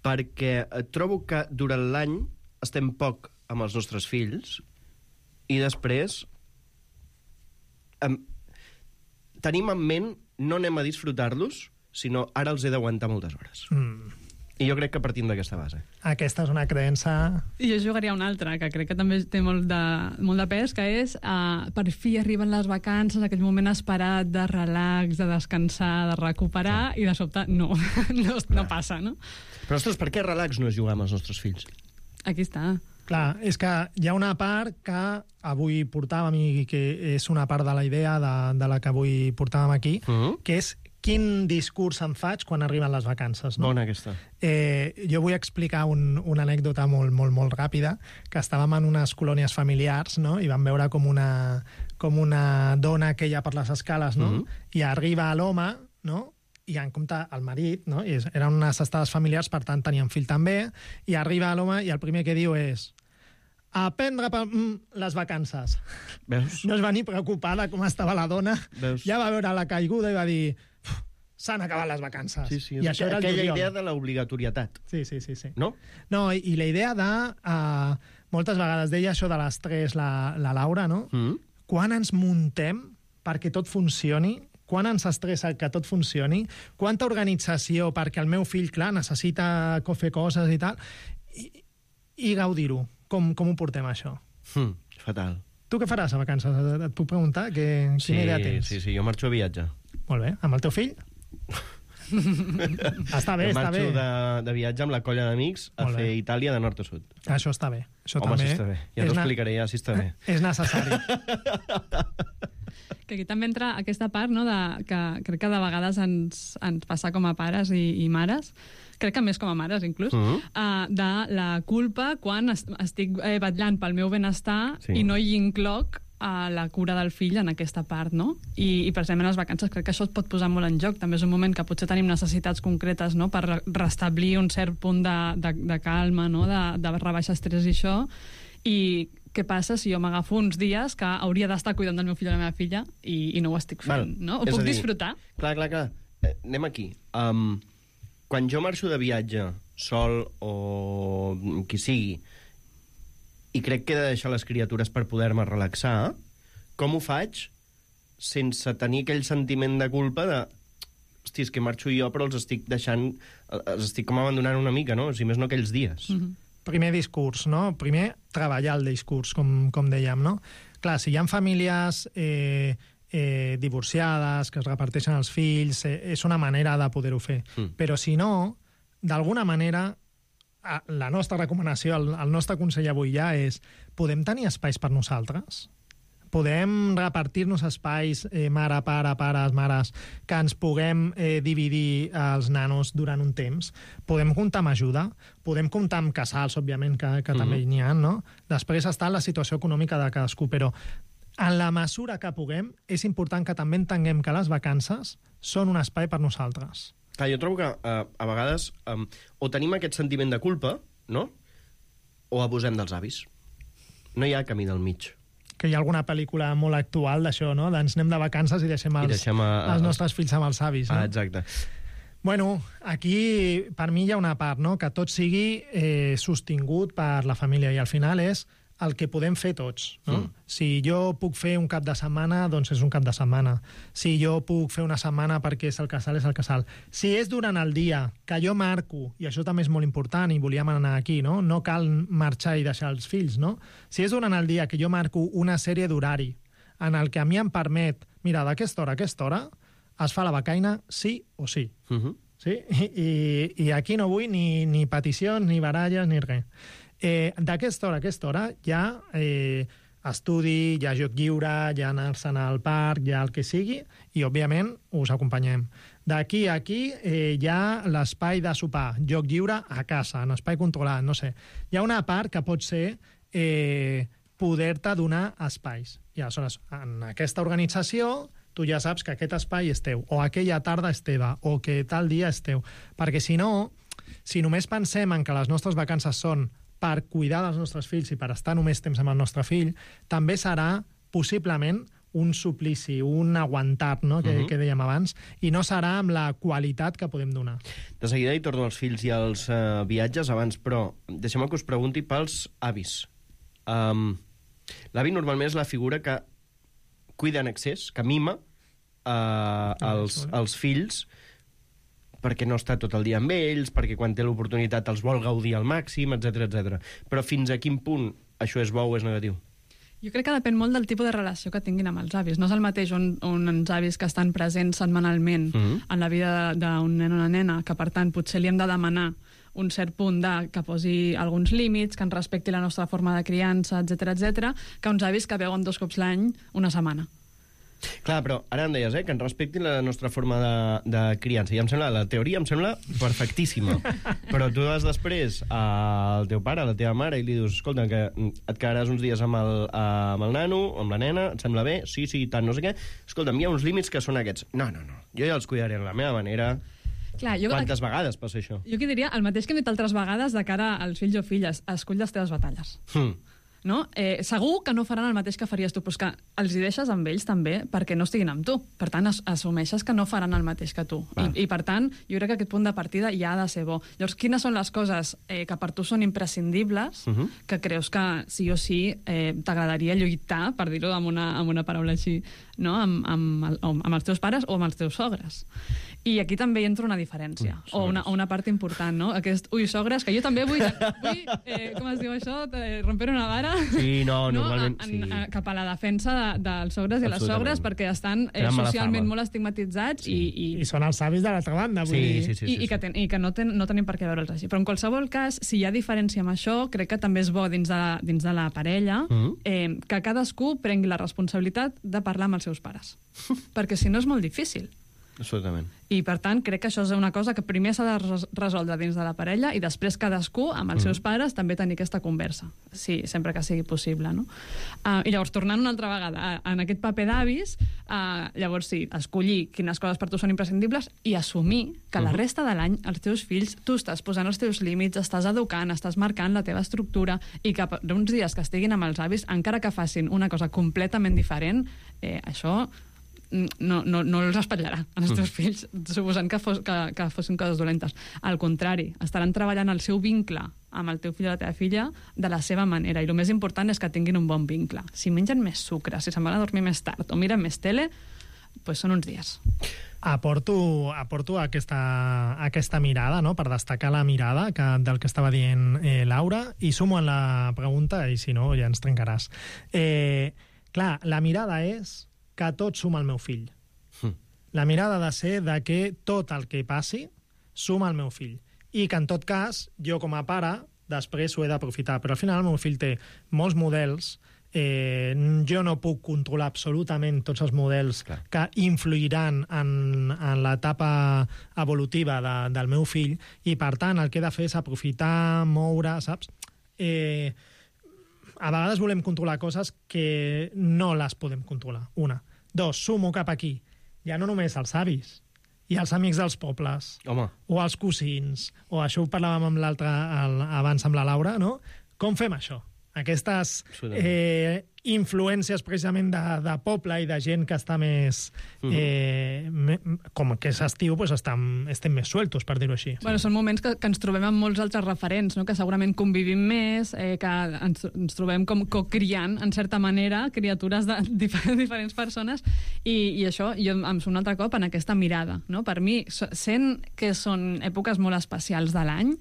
perquè trobo que durant l'any estem poc amb els nostres fills i després tenim en ment no anem a disfrutar-los, sinó ara els he d'aguantar moltes hores. I jo crec que partim d'aquesta base. Aquesta és una creença... I jo jugaria una altra, que crec que també té molt de pes, que és per fi arriben les vacances, aquell moment esperat de relax, de descansar, de recuperar, i de sobte no passa, no? Però, ostres, per què relax no és jugar amb els nostres fills? Aquí està. Clar, és que hi ha una part que avui portàvem i que és una part de la idea de la que avui portàvem aquí, que és quin discurs em faig quan arriben les vacances. No? Bona aquesta. Jo vull explicar una anècdota molt ràpida, que estàvem en unes colònies familiars, no? I vam veure com una dona que hi ha per les escales, no? I arriba l'home, no? I en compte el marit, no? I eren unes estades familiars, per tant tenien fill també, i arriba l'home i el primer que diu és aprendre les vacances. Veus? No es va ni preocupar de com estava la dona. Veus? Ja va veure la caiguda i va dir s'han acabat les vacances. Sí, I això era aquella idea de l'obligatorietat. Sí. No? No, i la idea de... moltes vegades deia això de l'estrès la Laura, no? Quan ens muntem perquè tot funcioni, quan ens estressa que tot funcioni, quanta organització perquè el meu fill, clar, necessita fer coses i tal, i gaudir-ho. Com ho portem, això? Fatal. Tu què faràs a vacances? Et puc preguntar? Quina idea tens? Sí, jo marxo a viatge. Molt bé. Amb el teu fill? Està bé. Marxo de viatge amb la colla d'amics a fer Itàlia de nord a sud. Això està bé. Home, sí està bé. Ja t'ho explicaré, ja, si està bé. És necessari. Que aquí també entra aquesta part, no?, que crec que de vegades ens passa com a pares i mares, crec que més com a mares inclús, de la culpa quan estic vetllant pel meu benestar i no hi incloc la cura del fill en aquesta part, no? I precisament les vacances crec que això es pot posar molt en joc. També és un moment que potser tenim necessitats concretes, no?, per restablir un cert punt de calma, no?, de rebaixar estrès i això. I què passa si jo m'agafo uns dies que hauria d'estar cuidant del meu fill o la meva filla i no ho estic fent, no? Ho puc disfrutar? Clar. Anem aquí. Quan jo marxo de viatge sol o qui sigui i crec que he de deixar les criatures per poder-me relaxar, com ho faig sense tenir aquell sentiment de culpa de hosti, és que marxo jo però els estic deixant, els estic com abandonant una mica, no? Si més no aquells dies. Primer discurs, no? Primer treballar el discurs, com dèiem, no? Clar, si hi ha famílies divorciades, que es reparteixen els fills, és una manera de poder-ho fer. Però si no, d'alguna manera, la nostra recomanació, el nostre consell avui ja és podem tenir espais per nosaltres? Podem repartir-nos espais, mare, pare, pares, mares, que ens puguem dividir els nanos durant un temps? Podem comptar amb ajuda? Podem comptar amb casals, òbviament, que també n'hi ha, no? Després està la situació econòmica de cadascú, però en la mesura que puguem, és important que també entenguem que les vacances són un espai per nosaltres. Clar, jo trobo que a vegades o tenim aquest sentiment de culpa, no? O abusem dels avis. No hi ha camí del mig. Que hi ha alguna pel·lícula molt actual d'això, no? Ens anem de vacances i deixem els nostres fills amb els avis. No? Exacte. Bueno, aquí per mi hi ha una part, no? Que tot sigui sostingut per la família i al final és el que podem fer tots. No? Si jo puc fer un cap de setmana, doncs és un cap de setmana. Si jo puc fer una setmana perquè és el casal, és el casal. Si és durant el dia, que jo marco, i això també és molt important, i volíem anar aquí, no? No cal marxar i deixar els fills, no? Si és durant el dia que jo marco una sèrie d'horari en el que a mi em permet, mira, d'aquesta hora a aquesta hora es fa la becaina sí o sí. Sí? I aquí no vull ni peticions, ni baralles, ni res. D'aquesta hora a aquesta hora hi ha estudi, hi ha joc lliure, hi ha anar-se'n al parc, hi ha el que sigui, i, òbviament, us acompanyem. D'aquí a aquí hi ha l'espai de sopar, joc lliure a casa, en espai controlat, no sé. Hi ha una part que pot ser poder-te donar espais. I, aleshores, en aquesta organització, tu ja saps que aquest espai és teu, o aquella tarda és teva, o que tal dia és teu. Perquè, si no, si només pensem en que les nostres vacances són per cuidar dels nostres fills i per estar només temps amb el nostre fill, també serà, possiblement, un suplici, un aguantar, no? Que dèiem abans, i no serà amb la qualitat que podem donar. De seguida hi torno als fills i als viatges abans, però deixem-me que us pregunti pels avis. L'avi normalment és la figura que cuida en excés, que mima els fills, perquè no està tot el dia amb ells, perquè quan té l'oportunitat els vol gaudir al màxim, etc. Però fins a quin punt això és bo o és negatiu? Jo crec que depèn molt del tipus de relació que tinguin amb els avis. No és el mateix uns avis que estan presents setmanalment en la vida d'un nen o una nena, que per tant potser li hem de demanar un cert punt que posi alguns límits, que ens respecti la nostra forma de criança, etc, que uns avis que veuen 2 cops l'any una setmana. Clar, però ara em deies, que ens respectin la nostra forma de criança. I la teoria em sembla perfectíssima. Però tu vas després al teu pare, a la teva mare, i li dius, escolta, que et quedaràs uns dies amb el nano, amb la nena, et sembla bé? Sí, tant, no sé què. Escolta'm, hi ha uns límits que són aquests. No, jo ja els cuidaré a la meva manera. Clar, Quantes vegades passa això? Jo aquí diria el mateix que hem dit altres vegades de cara als fills o filles. Escull les teves batalles. No? Segur que no faran el mateix que faries tu, però és que els hi deixes amb ells també perquè no estiguin amb tu. Per tant, assumeixes que no faran el mateix que tu. I per tant, jo crec que aquest punt de partida ja ha de ser bo. Llavors, quines són les coses que per tu són imprescindibles, que creus que sí o sí t'agradaria lluitar, per dir-ho amb una paraula així, no? amb els teus pares o amb els teus sogres? I aquí també hi entra una diferència, o una part important, no? Sogres, que jo també vull com es diu això? Romper una vara? Sí, normalment, sí. Cap a la defensa dels sogres i les sogres, perquè estan socialment molt estigmatitzats i són els avis de l'altra banda, vull dir. I que no tenim per què veure'ls així. Però en qualsevol cas, si hi ha diferència amb això, crec que també és bo dins de la parella que cadascú prengui la responsabilitat de parlar amb els seus pares. Perquè si no és molt difícil. Absolutament. I, per tant, crec que això és una cosa que primer s'ha de resoldre dins de la parella i després cadascú, amb els seus pares, també tenir aquesta conversa, sí, sempre que sigui possible, no? I llavors, tornant una altra vegada en aquest paper d'avis, llavors sí, escollir quines coses per tu són imprescindibles i assumir que la resta de l'any els teus fills, tu estàs posant els teus límits, estàs educant, estàs marcant la teva estructura i que uns dies que estiguin amb els avis, encara que facin una cosa completament diferent, això no els espatllarà als teus fills, suposant que fossin coses dolentes. Al contrari, estaran treballant el seu vincle amb el teu fill o la teva filla de la seva manera, i el més important és que tinguin un bon vincle. Si mengen més sucre, si se'n van a dormir més tard o miren més tele, doncs són uns dies. Aporto aquesta mirada, no?, per destacar la mirada del que estava dient Laura, i sumo en la pregunta, i si no ja ens trencaràs. Clar, la mirada és que tot suma al meu fill. La mirada ha de ser de que tot el que passi suma al meu fill. I que, en tot cas, jo com a pare, després ho he d'aprofitar. Però al final el meu fill té molts models, jo no puc controlar absolutament tots els models que influiran en l'etapa evolutiva del meu fill, i per tant el que he de fer és aprofitar, moure, saps? a vegades volem controlar coses que no les podem controlar. Una. Dos, sumo cap aquí. Ja no només els avis, i els amics dels pobles, o els cosins, o això ho parlàvem amb l'altre abans amb la Laura, no? Com fem això? Aquestes influències precisament de poble i de gent que està més... com que és estiu, doncs estem més sueltos, per dir-ho així. Bueno, són moments que ens trobem amb molts altres referents, no? Que segurament convivim més, que ens trobem com cocriant, en certa manera, criatures de diferents persones, i això em surt un altre cop en aquesta mirada. No? Per mi, sent que són èpoques molt especials de l'any,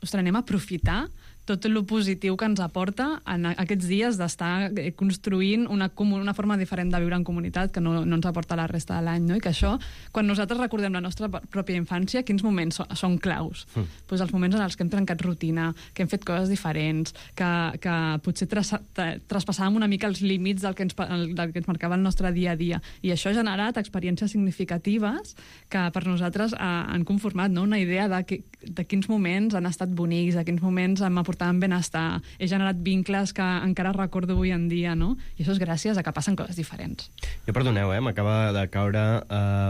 ostres, anem a aprofitar tot el positiu que ens aporta en aquests dies d'estar construint una forma diferent de viure en comunitat que no ens aporta la resta de l'any, no? I que això, quan nosaltres recordem la nostra pròpia infància, quins moments són claus? Pues els moments en els que hem trencat rutina, que hem fet coses diferents, que potser traspassàvem una mica els límits del que ens marcava el nostre dia a dia. I això ha generat experiències significatives que per nosaltres han conformat, no? Una idea de quins moments han estat bonics, de quins moments hem aportat en benestar, he generat vincles que encara recordo avui en dia, no? I això és gràcies a que passen coses diferents. Jo perdoneu, m'acaba de caure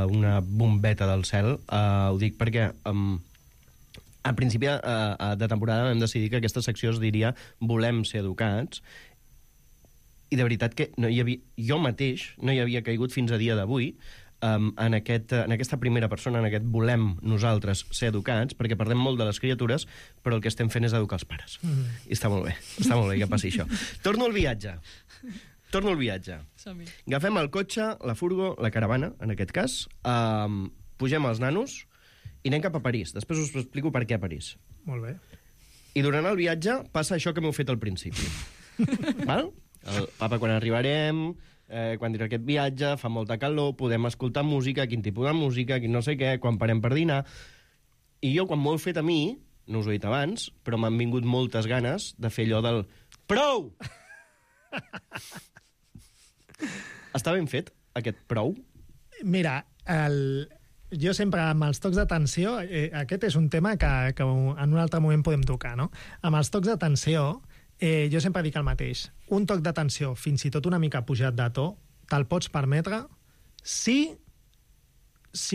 una bombeta del cel. Ho dic perquè a principi de temporada vam decidir que aquesta secció es diria Volem ser educats, i de veritat que jo mateix no hi havia caigut fins a dia d'avui en aquesta primera persona, en aquest volem nosaltres ser educats, perquè parlem molt de les criatures, però el que estem fent és educar els pares. I està molt bé que passi això. Torno al viatge. Agafem el cotxe, la furgo, la caravana, en aquest cas, pugem els nanos i anem cap a París. Després us explico per què a París. Molt bé. I durant el viatge passa això que m'heu fet al principi. Val? Papa, quan arribarem... quan dirà aquest viatge, fa molta calor, podem escoltar música, quin tipus de música, quin no sé què, quan parem per dinar. I jo, quan m'ho heu fet a mi, no us ho he dit abans, però m'han vingut moltes ganes de fer allò del prou! Està ben fet, aquest prou? Mira, jo sempre, amb els tocs d'atenció, aquest és un tema que en un altre moment podem tocar, no? Amb els tocs d'atenció, jo sempre dic el mateix. Un toc d'atenció, fins i tot una mica pujat de to, te'l pots permetre si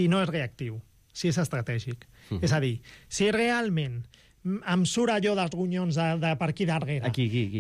no és reactiu, si és estratègic. És a dir, si realment em surt allò dels ronyons de per aquí darrere,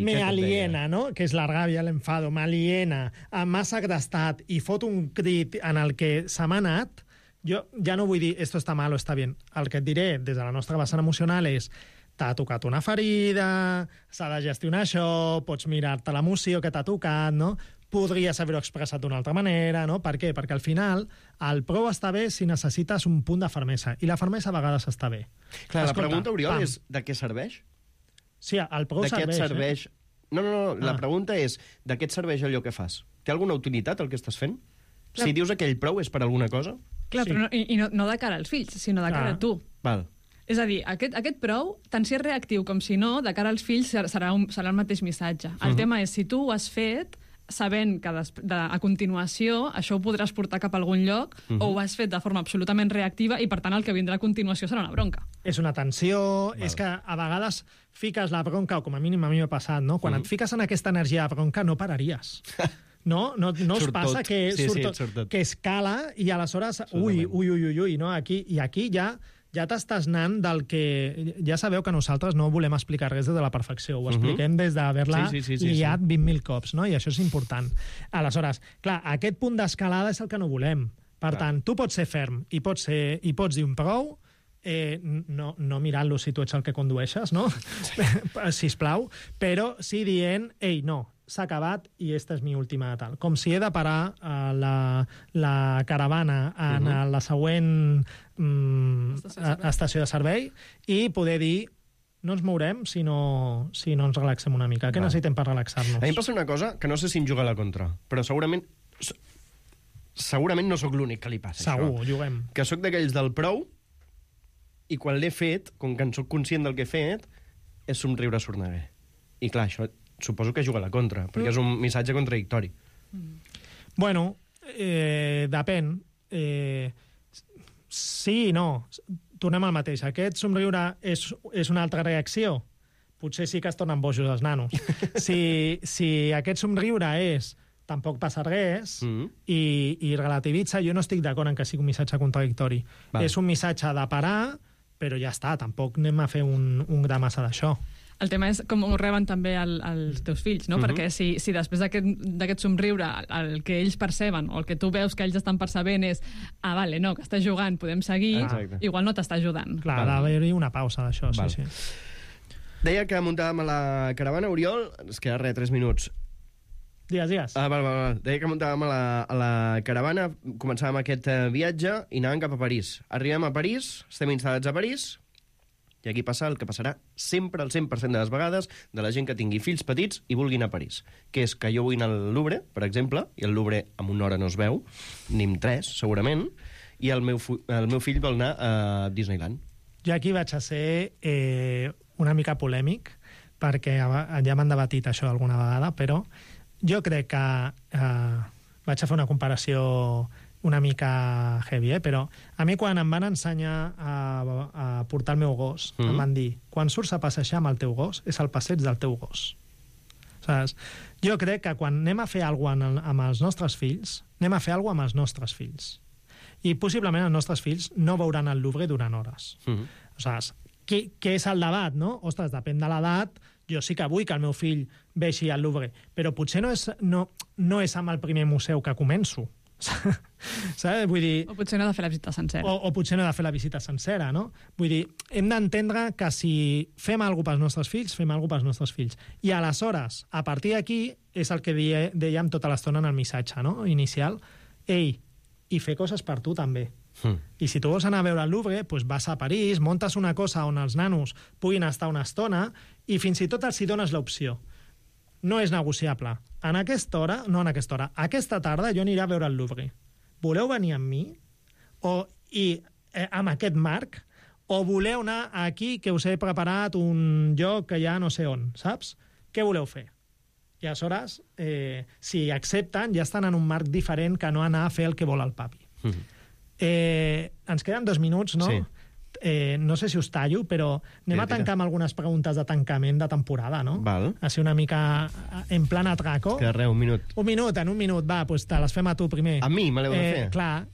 me aliena, no? Que és la ràbia, l'enfado, m'aliena, m'ha segrestat i fot un crit en el que se m'ha anat, jo ja no vull dir esto está mal o está bien. El que et diré des de la nostra vessant emocional és t'ha tocat una ferida, s'ha de gestionar això, pots mirar-te l'emoció que t'ha tocat, no? Podries haver-ho expressat d'una altra manera, no? Per què? Perquè al final el prou està bé si necessites un punt de fermesa, i la fermesa a vegades està bé. Clar, la pregunta, Oriol, és de què serveix? Sí, el prou serveix. No, la pregunta és de què et serveix allò que fas? Té alguna utilitat el que estàs fent? Clar. Si dius aquell prou és per alguna cosa? Clar, però no de cara als fills, sinó de cara a tu. Val. És a dir, aquest prou, tant si és reactiu com si no, de cara als fills serà el mateix missatge. El tema és, si tu ho has fet, sabent que a continuació això ho podràs portar cap a algun lloc, o ho has fet de forma absolutament reactiva i, per tant, el que vindrà a continuació serà una bronca. És una tensió, és que a vegades fiques la bronca, o com a mínim a mi m'ha passat, no? Quan et fiques en aquesta energia de bronca no pararies. No us passa que escala i aleshores, ui, no? Aquí ja t'estàs anant del que... Ja sabeu que nosaltres no volem explicar res des de la perfecció, ho expliquem des d'haver-la liat 20.000 cops, no? I això és important. Aleshores, clar, aquest punt d'escalada és el que no volem. Per tant, tu pots ser ferm i pots dir un prou, no mirant-lo si tu ets el que condueixes, no? Sisplau, però sí dient, ei, no, s'ha acabat i esta és mi última tal. Com si he de parar la caravana en la següent estació de servei i poder dir no ens mourem si no ens relaxem una mica. Què necessitem per relaxar-nos? A mi em passa una cosa que no sé si em juga a la contra, però segurament no sóc l'únic que li passa Segur, això. Juguem. Que sóc d'aquells del prou i quan l'he fet, com que en sóc conscient del que he fet, és somriure a sorneguer. I clar, això suposo que juga a la contra, perquè és un missatge contradictori. Bueno, depèn. Sí i no. Tornem al mateix. Aquest somriure és una altra reacció? potser sí que es tornen bojos els nanos. Si aquest somriure és tampoc passa res i relativitza, jo no estic d'acord en que sigui un missatge contradictori. És un missatge de parar, però ja està, tampoc anem a fer un gra massa d'això. El tema és com ho reben també els teus fills, no? Perquè si després d'aquest somriure el que ells perceben o el que tu veus que ells estan percebent és vale, no, que estàs jugant, podem seguir, igual no t'està ajudant. Clar, ha d'haver-hi una pausa d'això, sí. Deia que muntàvem a la caravana, Oriol, ens queda 3 minuts. Digues. Val. Deia que muntàvem a la caravana, començàvem aquest viatge i anàvem cap a París. Arribem a París, estem instal·lats a París, i aquí passa el que passarà sempre, el 100% de les vegades, de la gent que tingui fills petits i vulgui anar a París. Que és que jo vull anar al Louvre, per exemple, i el Louvre en una hora no es veu, ni en 3, segurament, i el meu fill vol anar a Disneyland. Jo aquí vaig a ser una mica polèmic, perquè ja m'han debatit això alguna vegada, però jo crec que vaig a fer una comparació una mica heavy, però a mi quan em van ensenyar a portar el meu gos, em van dir, quan surts a passejar amb el teu gos, és el passeig del teu gos. Saps? Jo crec que quan anem a fer alguna cosa amb els nostres fills, anem a fer alguna cosa amb els nostres fills. I possiblement els nostres fills no veuran el Louvre durant hores. Saps? Què és el debat, no? Ostres, depèn de l'edat, jo sí que vull que el meu fill vegi al Louvre, però potser no és amb el primer museu que començo. Saps? Vull dir... O potser no he de fer la visita sencera. O potser no he de fer la visita sencera, no? Vull dir, hem d'entendre que si fem alguna cosa pels nostres fills, fem alguna cosa pels nostres fills. I aleshores, a partir d'aquí, és el que dèiem tota l'estona en el missatge, no? Inicial. Ei, i fer coses per tu també. I si tu vols anar a veure el Louvre, doncs vas a París, montes una cosa on els nanos puguin estar una estona i fins i tot els hi dones l'opció. No és negociable. Aquesta tarda jo aniré a veure el Louvre. Voleu venir amb mi? Amb aquest marc? O voleu anar aquí, que us he preparat un lloc que ja no sé on, saps? Què voleu fer? I aleshores, si accepten, ja estan en un marc diferent que no anar a fer el que vol el papi. Ens queden 2 minuts, no? Sí. No sé si us tallo, però anem a tancar amb algunes preguntes de tancament de temporada, no? Val. Així una mica en plan atraco. Que res, un minut. En un minut, va, doncs te les fem a tu primer. A mi me l'heu de fer? Clar.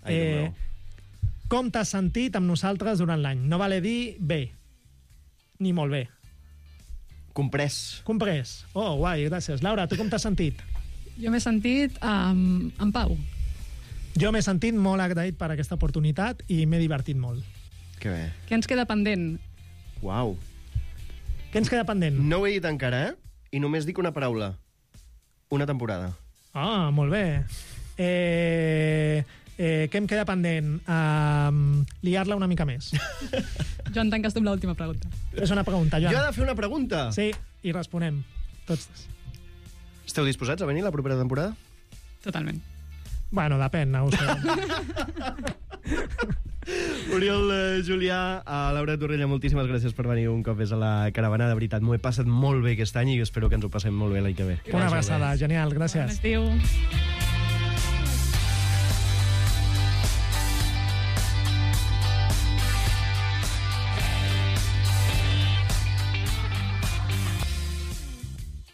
Com t'has sentit amb nosaltres durant l'any? No vale dir bé, ni molt bé. Comprès. Oh, guai, gràcies. Laura, tu com t'has sentit? Jo m'he sentit en pau. Jo m'he sentit molt agraït per aquesta oportunitat i m'he divertit molt. Que bé. Què ens queda pendent? Uau. Què ens queda pendent? No ho he dit encara, I només dic una paraula. Una temporada. Ah, molt bé. Què em queda pendent? Liar-la una mica més. Joan, tanques tu amb l'última pregunta. És una pregunta, Joan. Jo he de fer una pregunta? Sí, i responem. Tots. Esteu disposats a venir la propera temporada? Totalment. Bueno, depèn, no ho sé. Oriol Julià, a Laura Torrella, moltíssimes gràcies per venir un cop més a la caravana. De veritat, m'ho he passat molt bé aquest any i espero que ens ho passem molt bé l'any que ve. Una abraçada, genial, gràcies. Bon estiu.